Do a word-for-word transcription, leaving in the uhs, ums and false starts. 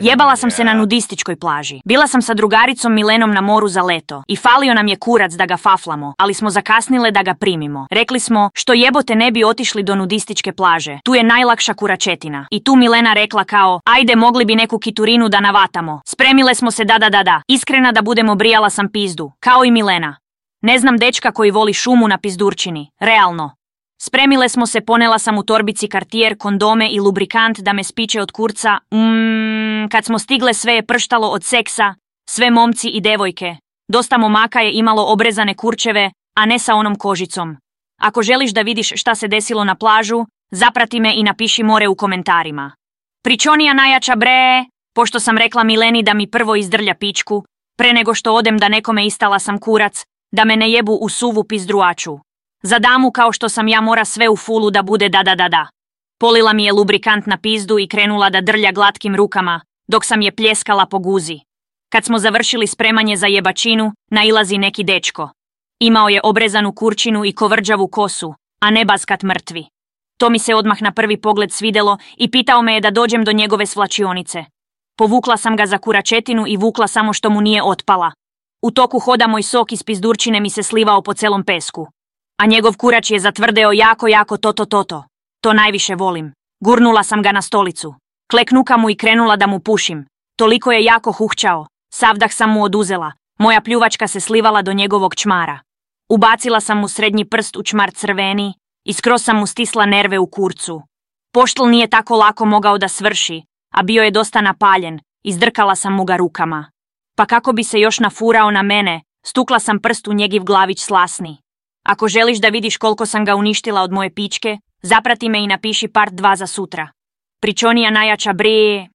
Jebala sam se na nudističkoj plaži. Bila sam sa drugaricom Milenom na moru za leto i falio nam je kurac da ga faflamo, ali smo zakasnile da ga primimo. Rekli smo, što jebote ne bi otišli do nudističke plaže, tu je najlakša kuračetina. I tu Milena rekla kao, ajde mogli bi neku kiturinu da navatamo. Spremile smo se da da da da. Iskrena da budemo, brijala sam pizdu, kao i Milena. Ne znam dečka koji voli šumu na pizdurčini, realno. Spremile smo se, ponela sam u torbici Cartier, kondome i lubrikant da me spiče od kurca. Mmm, kad smo stigle sve je prštalo od seksa, sve momci i devojke. Dosta momaka je imalo obrezane kurčeve, a ne sa onom kožicom. Ako želiš da vidiš šta se desilo na plažu, zaprati me i napiši more u komentarima. Pričonija najjača bre, pošto sam rekla Mileni da mi prvo izdrlja pičku, pre nego što odem da nekome istala sam kurac, da me ne jebu u suvu pizdruaču. Za damu kao što sam ja mora sve u fulu da bude da da da da. Polila mi je lubrikant na pizdu i krenula da drlja glatkim rukama, dok sam je pljeskala po guzi. Kad smo završili spremanje za jebačinu, nailazi neki dečko. Imao je obrezanu kurčinu i kovrđavu kosu, a ne baskat mrtvi. To mi se odmah na prvi pogled svidelo i pitao me je da dođem do njegove svlačionice. Povukla sam ga za kuračetinu i vukla samo što mu nije otpala. U toku hoda moj sok iz pizdurčine mi se slivao po celom pesku. A njegov kurač je zatvrdeo jako, jako toto toto. To najviše volim. Gurnula sam ga na stolicu. Kleknuka mu i krenula da mu pušim. Toliko je jako huhćao. Savdah sam mu oduzela. Moja pljuvačka se slivala do njegovog čmara. Ubacila sam mu srednji prst u čmar crveni i skroz sam mu stisla nerve u kurcu. Poštl nije tako lako mogao da svrši, a bio je dosta napaljen. Izdrkala sam mu ga rukama. Pa kako bi se još nafurao na mene, stukla sam prst u njegiv glavić slasni. Ako želiš da vidiš koliko sam ga uništila od moje pičke, zaprati me i napiši part dva za sutra. Pričonija najjača bre.